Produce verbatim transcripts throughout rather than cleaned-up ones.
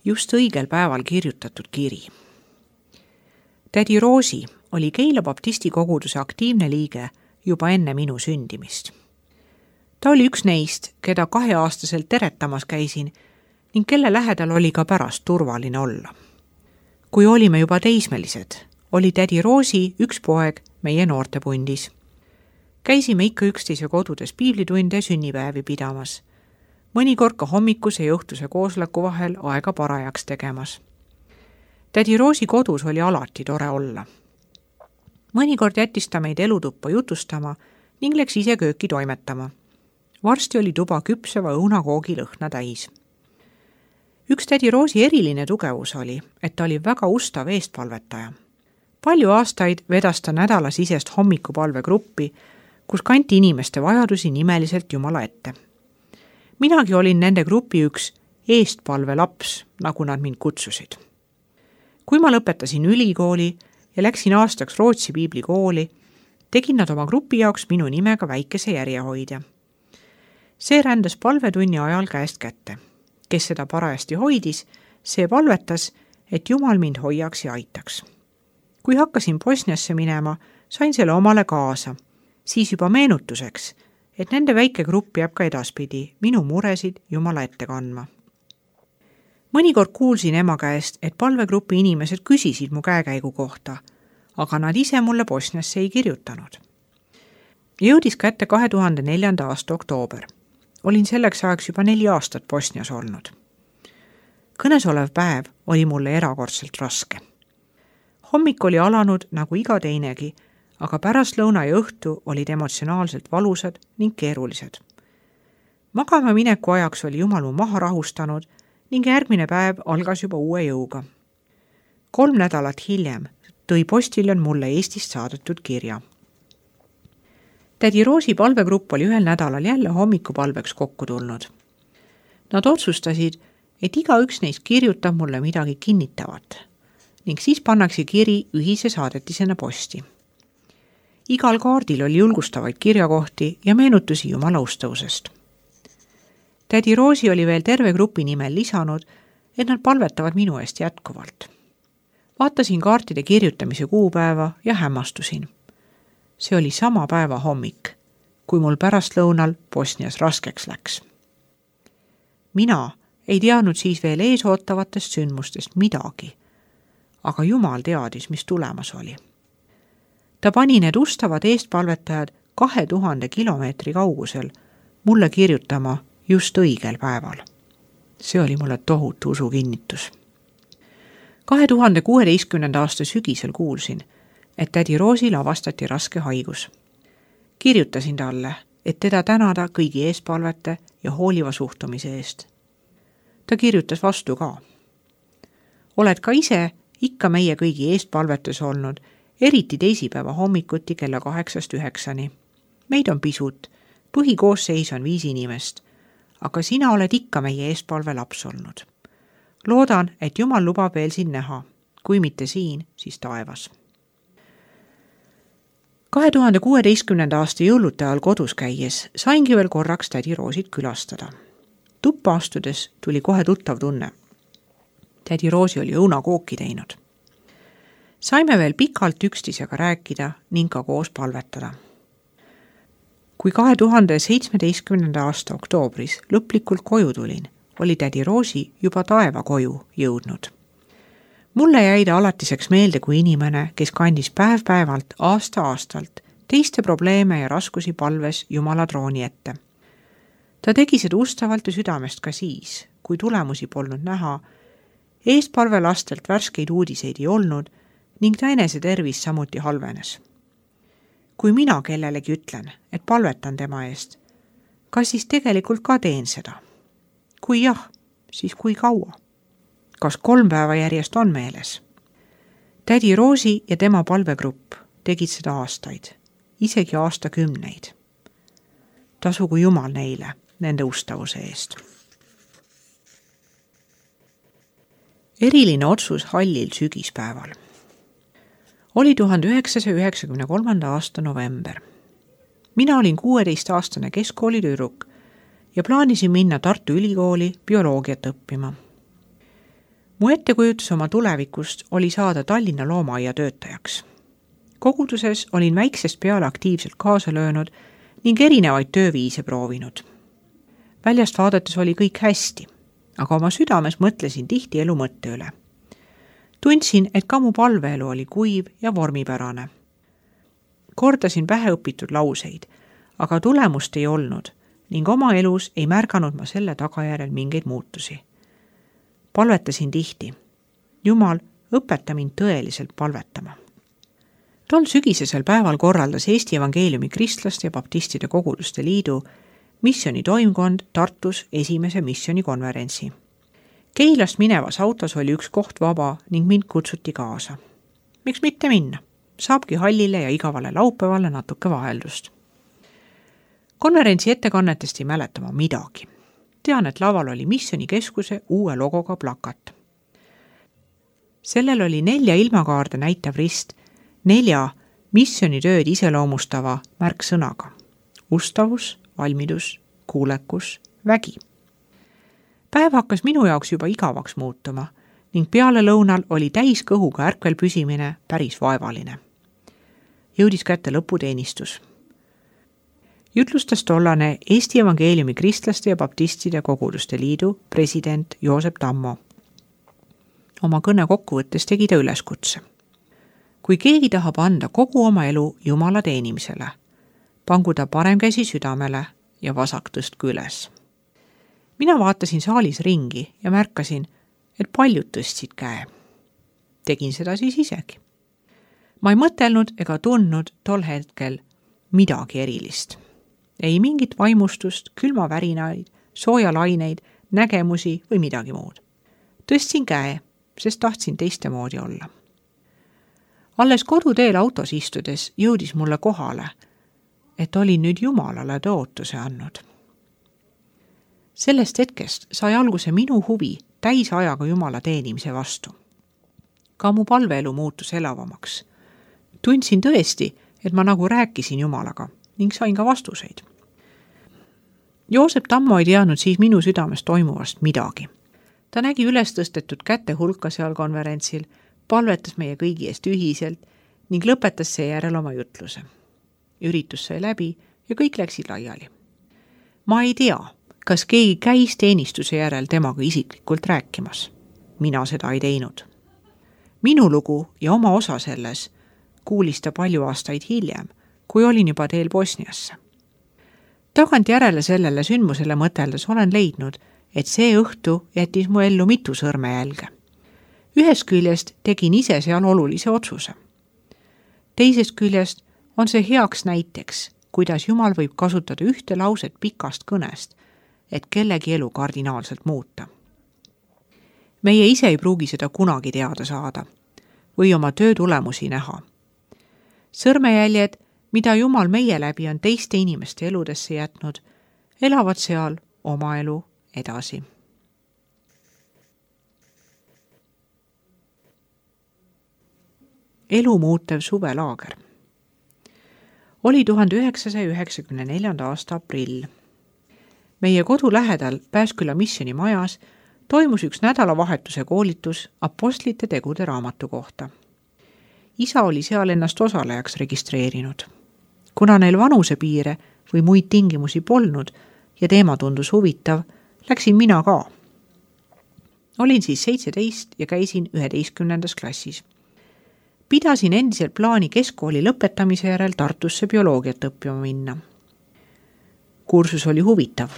just õigel päeval kirjutatud kiri. Tädi Roosi oli Keila baptisti koguduse aktiivne liige juba enne minu sündimist. Ta oli üks neist, keda kaheaastaselt teretamas käisin ning kelle lähedal oli ka pärast turvaline olla. Kui olime juba teismelised, oli tädi Roosi üks poeg meie noortepundis. Käisime ikka üksteise kodudes piiblitunde ja sünnipäevi pidamas, mõnikord ka hommikuse ja õhtuse koosoleku vahel aega parajaks tegemas. Tädi Roosi kodus oli alati tore olla. Mõnikord jättis ta meid elutuppa jutustama ning läks ise kööki toimetama. Varsti oli tuba küpseva õunakoogi lõhna täis. Üks tädi Roosi eriline tugevus oli, et ta oli väga ustav eestpalvetaja. Palju aastaid vedas ta nädalasisest hommikupalvegruppi, kus kanti inimeste vajadusi nimeliselt Jumala ette. Minagi olin nende grupi üks eestpalve laps, nagu nad mind kutsusid. Kui ma lõpetasin ülikooli ja läksin aastaks Rootsi piiblikooli, tegin nad oma grupi jaoks minu nimega väikese järjehoidja. See rändas palvetunni ajal käest kätte. Kes seda parajasti hoidis, see palvetas, et Jumal mind hoiaks ja aitaks. Kui hakkasin Bosniasse minema, sain selle omale kaasa, siis juba meenutuseks, et nende väike grupp jääb ka edaspidi minu muresid Jumala ette kandma. Mõnikord kuulsin ema käest, et palvegrupi inimesed küsisid mu käekäigu kohta, aga nad ise mulle Bosniasse ei kirjutanud. Jõudis kätte kahe tuhande neljanda aasta oktoober. Olin selleks ajaks juba neli aastat Bosnias olnud. Kõnesolev päev oli mulle erakordselt raske. Hommik oli alanud nagu iga teinegi, aga pärastlõuna ja õhtu olid emotsionaalselt valusad ning keerulised. Magama mineku ajaks oli Jumal mu maha rahustanud ning järgmine päev algas juba uue jõuga. Kolm nädalat hiljem tõi postiljon mulle Eestist saadetud kirja. Tädi Roosi palvegrupp oli ühel nädalal jälle hommikupalveks kokku tulnud. Nad otsustasid, et iga üks neist kirjutab mulle midagi kinnitavat ning siis pannakse kiri ühise saadetisena posti. Igal kaardil oli julgustavaid kirjakohti ja meenutusi Jumala ustavusest. Tädi Roosi oli veel terve grupi nimel lisanud, et nad palvetavad minu eest jätkuvalt. Vaatasin kaartide kirjutamise kuupäeva ja hämmastusin. See oli sama päeva hommik, kui mul pärastlõunal Bosnias raskeks läks. Mina ei teadnud siis veel eesootavatest sündmustest midagi, aga Jumal teadis, mis tulemas oli. Ta pani need ustavad eestpalvetajad kahe tuhande kilomeetri kaugusel mulle kirjutama just õigel päeval. See oli mulle tohutu usu kinnitus. kahe tuhande kuueteistkümnenda aasta sügisel kuulsin, et tädi Roosil avastati raske haigus. Kirjutasin talle, et teda tänada kõigi eespalvete ja hooliva suhtumise eest. Ta kirjutas vastu ka. Oled ka ise ikka meie kõigi eestpalvetes olnud, eriti teisipäeva hommikuti kella kaheksast üheksani. Meid on pisut, põhikoosseis on viis inimest, aga sina oled ikka meie eespalve laps olnud. Loodan, et Jumal lubab veel siin näha, kui mitte siin, siis taevas. kahe tuhande kuueteistkümnenda aasta jõulute ajal kodus käies saingi veel korraks tädi Roosit külastada. Tuppa astudes tuli kohe tuttav tunne. Tädi Roosi oli õunakooki teinud. Saime veel pikalt üksteisega rääkida ning ka koos palvetada. Kui kahe tuhande seitsmeteistkümnenda aasta oktoobris lõplikult koju tulin, oli tädi Roosi juba taeva koju jõudnud. Mulle jäi ta alatiseks meelde kui inimene, kes kandis päev-päevalt, aasta-aastalt teiste probleeme ja raskusi palves Jumala trooni ette. Ta tegi seda ustavalt ja südamest ka siis, kui tulemusi polnud näha, eestpalve lastelt värskeid uudiseid ei olnud ning ta enese tervis samuti halvenes. Kui mina kellelegi ütlen, et palvetan tema eest, kas siis tegelikult ka teen seda? Kui jah, siis kui kaua? Kas kolm päeva järjest on meeles? Tädi Roosi ja tema palvegrupp tegid seda aastaid, isegi aastakümneid. Tasugu Jumal neile nende ustavuse eest. Eriline otsus hallil sügispäeval. Oli tuhande üheksasaja üheksakümne kolmanda aasta november. Mina olin kuueteistaastane keskkoolitüdruk ja plaanisin minna Tartu Ülikooli bioloogiat õppima. mu ettekujutus oma tulevikust oli saada Tallinna loomaaia töötajaks. Koguduses olin väiksest peale aktiivselt kaasa löönud ning erinevaid tööviise proovinud. Väljast vaadates oli kõik hästi, aga oma südames mõtlesin tihti elu mõtte üle. Tundsin, et ka mu palveelu oli kuiv ja vormipärane. Kordasin päheõpitud lauseid, aga tulemust ei olnud ning oma elus ei märganud ma selle tagajärjel mingeid muutusi. Palvetasin tihti. Jumal, õpeta mind tõeliselt palvetama. Tol sügisesel päeval korraldas Eesti Evangeeliumi Kristlaste ja Baptistide Koguduste Liidu missiooni toimkond Tartus esimese missionikonverentsi. Keilast minevas autos oli üks koht vaba ning mind kutsuti kaasa. Miks mitte minna? Saabki hallile ja igavale laupäevale natuke vaheldust. Konverentsi ettekannetest ei mäleta ma midagi. Tean, et laval oli missionikeskuse uue logoga plakat. Sellel oli nelja ilmakaarde näitav rist, nelja missionitööd iseloomustava märksõnaga. Ustavus, valmidus, kuulekus, vägi. Päev hakkas minu jaoks juba igavaks muutuma ning peale lõunal oli täis kõhuga ärkvel püsimine päris vaevaline. Jõudis kätte lõputeenistus. Jutlustas tollane Eesti Evangeeliumi Kristlaste ja Baptistide Koguduste Liidu president Joosep Tammo. Oma kõne kokkuvõttes tegi ta üleskutse. Kui keegi tahab anda kogu oma elu Jumala teenimisele, pangu ta parem käsi südamele ja vasak tõstku üles. Mina vaatasin saalis ringi ja märkasin, et paljud tõstsid käe. Tegin seda siis isegi. Ma ei mõtelnud ega tundnud tol hetkel midagi erilist. Ei mingit vaimustust, külmavärinaid, soojalaineid, nägemusi või midagi muud. Tõstsin käe, sest tahtsin teiste moodi olla. Alles koduteel autos istudes jõudis mulle kohale, et olin nüüd Jumalale tõotuse andnud. Sellest hetkest sai alguse minu huvi täisajaga Jumala teenimise vastu. Ka mu palveelu muutus elavamaks. Tundsin tõesti, et ma nagu rääkisin Jumalaga ning sain ka vastuseid. Joosep Tammo ei teadnud siis minu südames toimuvast midagi. Ta nägi üles tõstetud käte hulka seal konverentsil, palvetas meie kõigi eest ühiselt ning lõpetas seejärel oma jutluse. Üritus sai läbi ja kõik läksid laiali. Ma ei tea, kas keegi käis teenistuse järel temaga isiklikult rääkimas. Mina seda ei teinud. Minu lugu ja oma osa selles kuulis ta palju aastaid hiljem, kui olin juba teel Bosniasse. Tagant järele sellele sündmusele mõteldes olen leidnud, et see õhtu jättis mu ellu mitu sõrmejälge. Ühest küljest tegin ise seal olulise otsuse. Teisest küljest on see heaks näiteks, kuidas Jumal võib kasutada ühte lauset pikast kõnest, et kellegi elu kardinaalselt muuta. Meie ise ei pruugi seda kunagi teada saada või oma töö tulemusi näha. Sõrmejäljed, mida Jumal meie läbi on teiste inimeste eludesse jätnud, elavad seal oma elu edasi. Elu muutev suvelaager. Oli tuhande üheksasaja üheksakümne neljanda aasta aprill. Meie kodu lähedal Pääsküla missioni majas toimus üks nädalavahetuse koolitus apostlite tegude raamatu kohta. Isa oli seal ennast osalejaks registreerinud. Kuna neil vanusepiire või muid tingimusi polnud ja teema tundus huvitav, läksin mina ka. Olin siis seitseteist ja käisin üheteistkümnendas klassis. Pidasin endiselt plaani keskkooli lõpetamise järel Tartusse bioloogiat õppima minna. Kursus oli huvitav,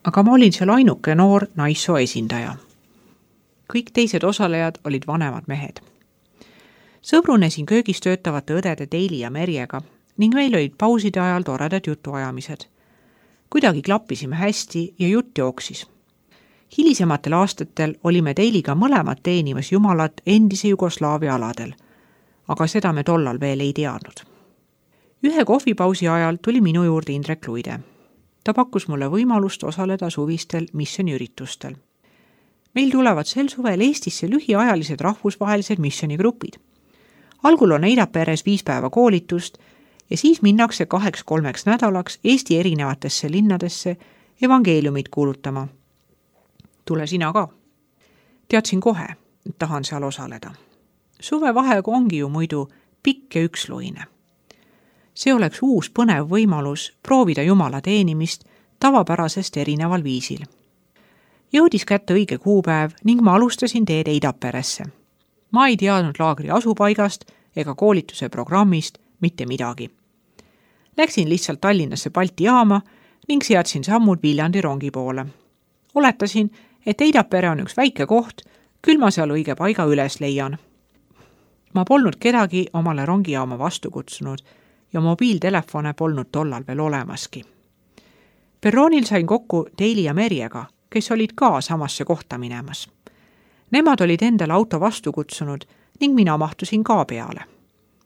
aga ma olin seal ainuke noor naissoo esindaja. Kõik teised osalejad olid vanemad mehed. Sõbrunesin köögis töötavate õdede Teili ja Merjega ning meil olid pauside ajal toredad jutuajamised. Kuidagi klappisime hästi ja jutt jooksis. Hilisematel aastatel olime Teiliga mõlemad teenimas Jumalat endise Jugoslaavia aladel, aga seda me tollal veel ei teadnud. Ühe kohvipausi ajal tuli minu juurde Indrek Luide. Ta pakkus mulle võimalust osaleda suvistel missioniüritustel. Meil tulevad sel suvel Eestisse lühiajalised rahvusvahelised missionigrupid. Algul on Eidaperes viis päeva koolitust ja siis minnakse kaheks-kolmeks nädalaks Eesti erinevatesse linnadesse evangeeliumit kuulutama. Tule sina ka. Teadsin kohe, et tahan seal osaleda. Suvevaheaeg ongi ju muidu pikk ja üksluine. See oleks uus põnev võimalus proovida Jumala teenimist tavapärasest erineval viisil. Jõudis kätte õige kuupäev ning ma alustasin teed Eidaperesse. Ma ei teadnud laagri asupaigast ega koolituse programmist mitte midagi. Läksin lihtsalt Tallinnasse Balti jaama ning seadsin sammud Viljandi rongi poole. Oletasin, et Eidapere on üks väike koht, küll ma seal õige paiga üles leian. Ma polnud kedagi omale rongijaama vastu kutsunud ja mobiiltelefone polnud tollal veel olemaski. Perroonil sain kokku Daily ja Merjega, kes olid ka samasse kohta minemas. Nemad olid endale auto vastu kutsunud ning mina mahtusin ka peale.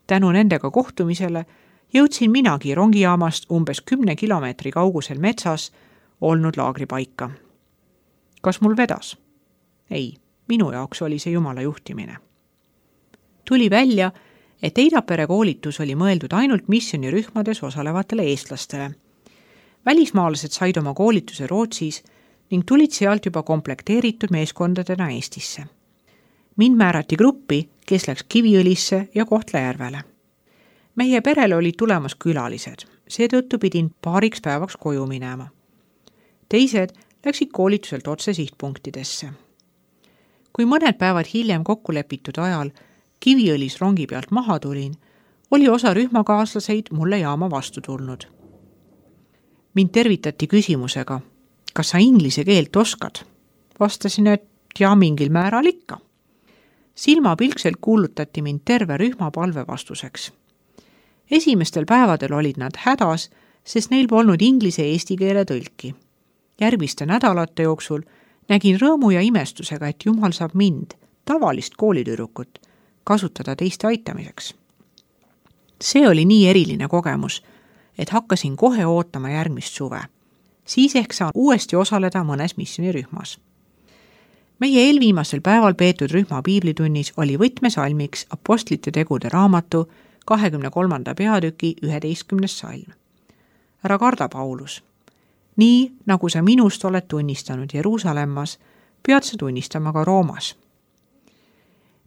Tänu nendega kohtumisele jõudsin minagi rongijaamast umbes kümne kilomeetri kaugusel metsas olnud laagripaika. Kas mul vedas? Ei, minu jaoks oli see Jumala juhtimine. Tuli välja, et Eidapere koolitus oli mõeldud ainult missionirühmades osalevatele eestlastele. Välismaalased said oma koolituse Rootsis ning tulid sealt juba komplekteeritud meeskondadena Eestisse. Mind määrati gruppi, kes läks Kiviõlisse ja Kohtla-Järvele. Meie perele olid tulemas külalised, seetõttu pidin paariks päevaks koju minema. Teised läksid koolituselt otse sihtpunktidesse. Kui mõned päevad hiljem kokkulepitud ajal Kiviõlis rongi pealt maha tulin, oli osa rühmakaaslaseid mulle jaama vastu tulnud. Mind tervitati küsimusega, kas sa inglise keelt oskad? Vastasin, et ja mingil määral ikka. Silmapilkselt kuulutati mind terve rühma palve vastuseks. Esimestel päevadel olid nad hädas, sest neil polnud inglise eesti keele tõlki. Järgmiste nädalate jooksul nägin rõõmu ja imestusega, et Jumal saab mind, tavalist koolitüdrukut, kasutada teiste aitamiseks. See oli nii eriline kogemus, et hakkasin kohe ootama järgmist suve. Siis ehk saan uuesti osaleda mõnes missionirühmas. Meie eelviimasel päeval peetud rühma piiblitunnis oli võtmesalmiks Apostlite tegude raamatu kahekümne kolmanda peatüki üheteistkümnes salm. Ära karda, Paulus. Nii, nagu sa minust oled tunnistanud Jeruusalemmas, pead sa tunnistama ka Roomas.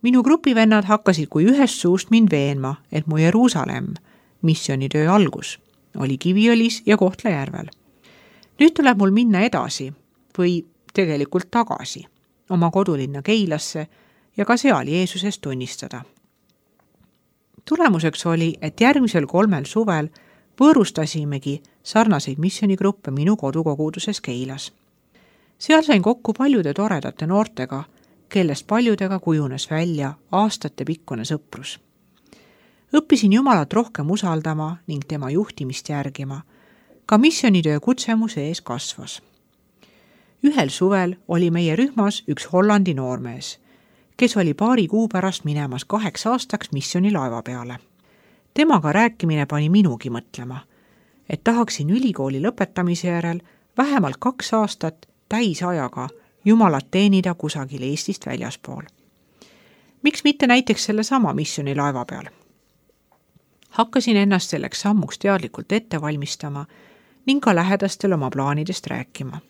Minu grupivennad hakkasid kui ühest suust mind veenma, et mu Jeruusalemm, missionitöö algus, oli Kiviõlis ja Kohtla-Järvel. Nüüd tuleb mul minna edasi või tegelikult tagasi oma kodulinna Keilasse ja ka seal Jeesusest tunnistada. Tulemuseks oli, et järgmisel kolmel suvel võõrustasimegi sarnaseid missionigruppe minu kodukoguduses Keilas. Seal sain kokku paljude toredate noortega, kellest paljudega kujunes välja aastate pikkune sõprus. Õppisin Jumalat rohkem usaldama ning tema juhtimist järgima. Ka missionitöö kutse mu sees kasvas. Ühel suvel oli meie rühmas üks Hollandi noormees, kes oli paari kuu pärast minemas kaheks aastaks missionilaeva peale. Temaga rääkimine pani minugi mõtlema, et tahaksin ülikooli lõpetamise järel vähemalt kaks aastat täisajaga Jumalat teenida kusagil Eestist väljaspool. Miks mitte näiteks selle sama missionilaeva peal? Hakkasin ennast selleks sammuks teadlikult ette valmistama ning ka lähedastel oma plaanidest rääkima.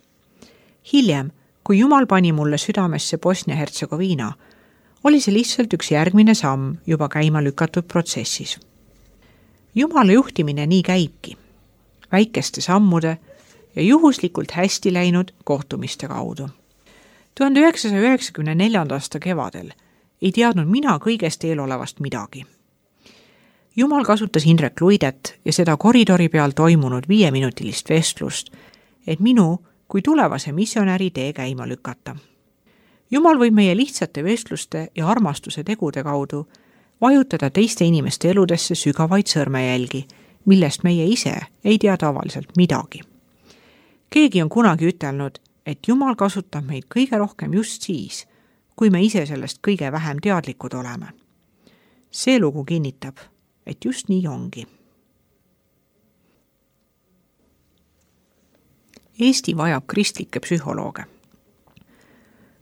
Hiljem, kui Jumal pani mulle südamesse Bosnia-Hertsegoviina, oli see lihtsalt üks järgmine samm juba käima lükatud protsessis. Jumala juhtimine nii käibki, väikeste sammude ja juhuslikult hästi läinud kohtumiste kaudu. tuhande üheksasaja üheksakümne neljanda aasta kevadel ei teadnud mina kõigest eelolevast midagi. Jumal kasutas Indrek Luidet ja seda koridori peal toimunud viieminutilist vestlust, et minu kui tulevase missionäri tee käima lükata. Jumal võib meie lihtsate vestluste ja armastuse tegude kaudu vajutada teiste inimeste eludesse sügavaid sõrmejälgi, millest meie ise ei tea tavaliselt midagi. Keegi on kunagi ütelnud, et Jumal kasutab meid kõige rohkem just siis, kui me ise sellest kõige vähem teadlikud oleme. See lugu kinnitab, et just nii ongi. Eesti vajab kristlikke psühholooge.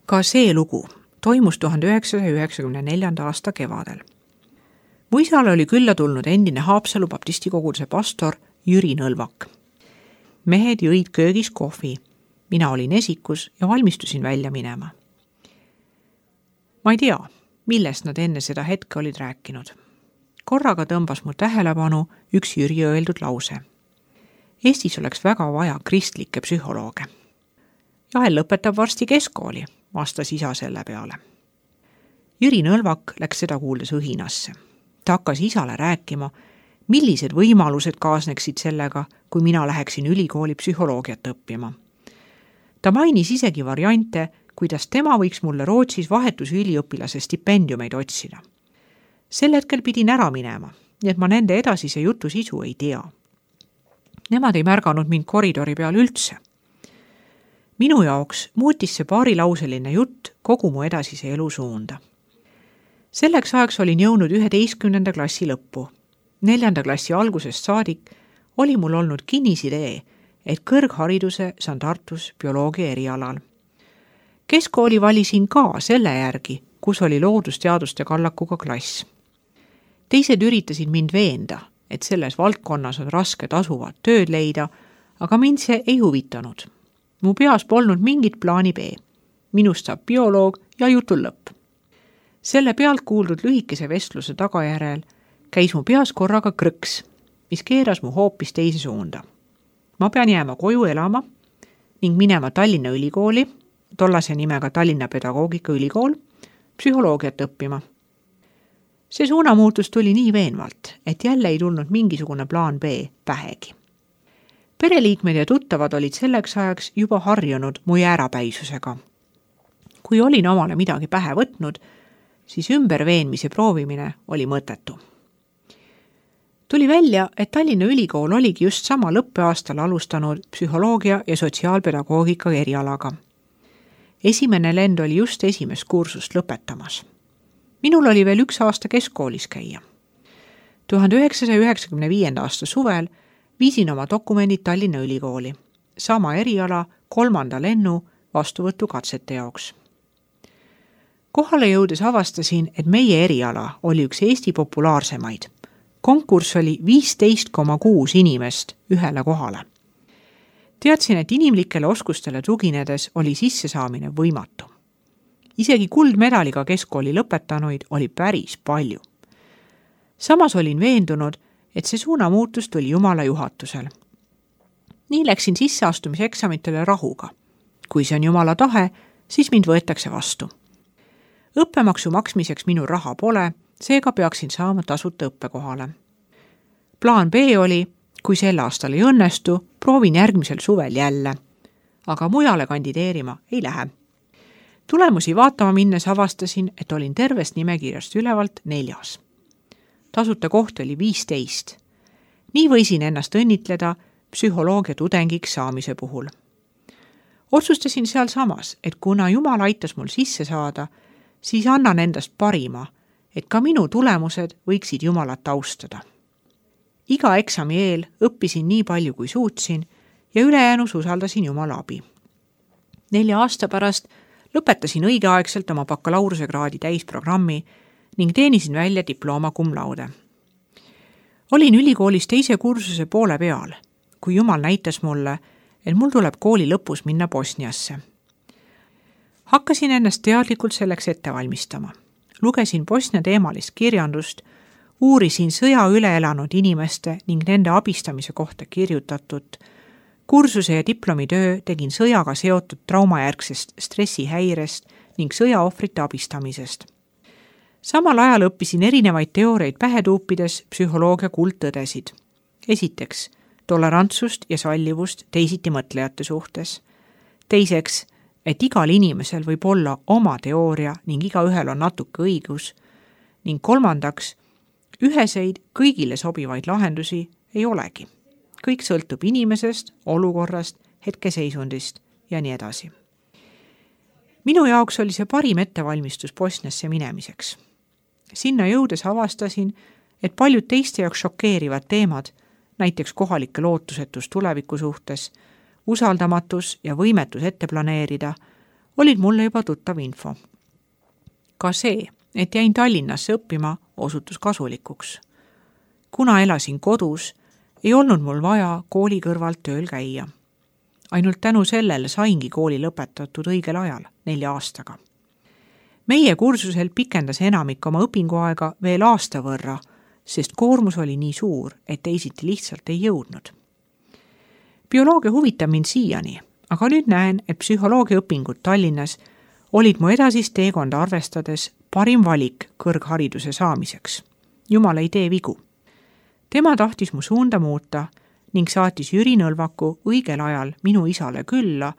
Ka see lugu toimus tuhande üheksasaja üheksakümne neljanda aasta kevadel. Mu isale oli külla tulnud endine Haapsalu baptistikoguduse pastor Jüri Nõlvak. Mehed jõid köögis kohvi. Mina olin esikus ja valmistusin välja minema. Ma ei tea, millest nad enne seda hetke olid rääkinud. Korraga tõmbas mu tähelepanu üks Jüri öeldud lause. Eestis oleks väga vaja kristlikke psühholooge. Jahel lõpetab varsti keskkooli, vastas isa selle peale. Jüri Nõlvak läks seda kuuldes õhinasse. Ta hakkas isale rääkima, millised võimalused kaasneksid sellega, kui mina läheksin ülikooli psühholoogiat õppima. Ta mainis isegi variante, kuidas tema võiks mulle Rootsis vahetusüliõpilase stipendiumeid otsida. Sel hetkel pidin ära minema, nii et ma nende edasise jutu sisu ei tea. Nemad ei märganud mind koridori peal üldse. Minu jaoks muutis see paarilauseline jutt kogu mu edasise elu suunda. Selleks ajaks olin jõudnud üheteistkümnenda klassi lõppu. Neljanda klassi algusest saadik oli mul olnud kinnisidee, et kõrghariduse saan Tartus bioloogia erialal. Keskkooli valisin ka selle järgi, kus oli loodusteaduste kallakuga klass. Teised üritasid mind veenda, et selles valdkonnas on raske tasuvat tööd leida, aga mind see ei huvitanud. Mu peas polnud mingit plaani B. Minust saab bioloog ja jutul lõpp. Selle pealt kuuldud lühikese vestluse tagajärel käis mu peas korraga krõks, mis keeras mu hoopis teise suunda. Ma pean jääma koju elama ning minema Tallinna ülikooli, tollase nimega Tallinna Pedagoogika Ülikool, psühholoogiat õppima. See suunamuutus tuli nii veenvalt, et jälle ei tulnud mingisugune plaan B pähegi. Pereliikmed ja tuttavad olid selleks ajaks juba harjunud mu jäärapäisusega. Kui olin omale midagi pähe võtnud, siis ümberveenmise proovimine oli mõttetu. Tuli välja, et Tallinna Ülikool oligi just sama lõppeaastal alustanud psühholoogia ja sotsiaalpedagoogika erialaga. Esimene lend oli just esimest kursust lõpetamas. Minul oli veel üks aasta keskkoolis käia. tuhande üheksasaja üheksakümne viienda aasta suvel viisin oma dokumendid Tallinna Ülikooli, sama eriala kolmanda lennu vastuvõtukatsete jaoks. Kohale jõudes avastasin, et meie eriala oli üks Eesti populaarsemaid. Konkurss oli viisteist koma kuus inimest ühele kohale. Teadsin, et inimlikele oskustele tuginedes oli sissesaamine võimatu. Isegi kuldmedaliga keskkooli lõpetanuid oli päris palju. Samas olin veendunud, et see suunamuutus tuli Jumala juhatusel. Nii läksin sisseastumiseksamitele rahuga. Kui see on Jumala tahe, siis mind võetakse vastu. Õppemaksu maksmiseks minu raha pole, seega peaksin saama tasuta õppekohale. Plaan B oli, kui sel aastal ei õnnestu, proovin järgmisel suvel jälle, aga mujale kandideerima ei lähe. Tulemusi vaatama minnes avastasin, et olin tervest nimekirjast ülevalt neljas. Tasuta kohti oli viisteist. Nii võisin ennast õnnitleda psühholoogia tudengiks saamise puhul. Otsustasin seal samas, et kuna Jumal aitas mul sisse saada, siis annan endast parima, et ka minu tulemused võiksid Jumalat austada. Iga eksami eel õppisin nii palju, kui suutsin ja ülejäänus usaldasin Jumala abi. Nelja aasta pärast lõpetasin õigeaegselt oma bakalaureusekraadi täisprogrammi ning teenisin välja diploma cum laude. Olin ülikoolis teise kursuse poole peal, kui Jumal näitas mulle, et mul tuleb kooli lõpus minna Bosniasse. Hakkasin ennast teadlikult selleks ette valmistama. Lugesin Bosnia teemalist kirjandust, uurisin sõja üle elanud inimeste ning nende abistamise kohta kirjutatud. Kursuse ja diplomitöö tegin sõjaga seotud traumajärgsest stressihäirest ning sõjaohvrite abistamisest. Samal ajal õppisin erinevaid teoreid pähe tuupides psühholoogia kuldtõdesid. Esiteks, tolerantsust ja sallivust teisiti mõtlejate suhtes. Teiseks, et igal inimesel võib olla oma teooria ning igaühel on natuke õigus. Ning kolmandaks, üheseid kõigile sobivaid lahendusi ei olegi. Kõik sõltub inimesest, olukorrast, hetkeseisundist ja nii edasi. Minu jaoks oli see parim ettevalmistus Bosniasse minemiseks. Sinna jõudes avastasin, et paljud teiste jaoks šokeerivad teemad, näiteks kohalike lootusetus tuleviku suhtes, usaldamatus ja võimetus ette planeerida, olid mulle juba tuttav info. Ka see, et jäin Tallinnasse õppima, osutus kasulikuks. Kuna elasin kodus, ei olnud mul vaja kooli kõrvalt tööl käia. Ainult tänu sellele saingi kooli lõpetatud õigel ajal, nelja aastaga. meie kursusel pikendas enamik oma õpinguaega veel aasta võrra, sest koormus oli nii suur, et teisiti lihtsalt ei jõudnud. Bioloogia huvitab mind siiani, aga nüüd näen, et psühholoogiaõpingud Tallinnas olid mu edasist teekonda arvestades parim valik kõrghariduse saamiseks. Jumal ei tee vigu. Tema tahtis mu suunda muuta ning saatis Jüri Nõlvaku õigel ajal minu isale külla,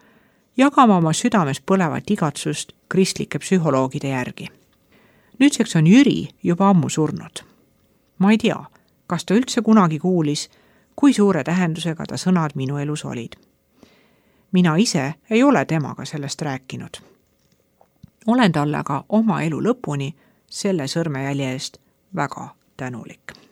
jagama oma südames põlevat igatsust kristlike psühholoogide järgi. Nüüdseks on Jüri juba ammu surnud. Ma ei tea, kas ta üldse kunagi kuulis, kui suure tähendusega ta sõnad minu elus olid. Mina ise ei ole temaga sellest rääkinud. Olen talle aga oma elu lõpuni selle sõrmejälje eest väga tänulik.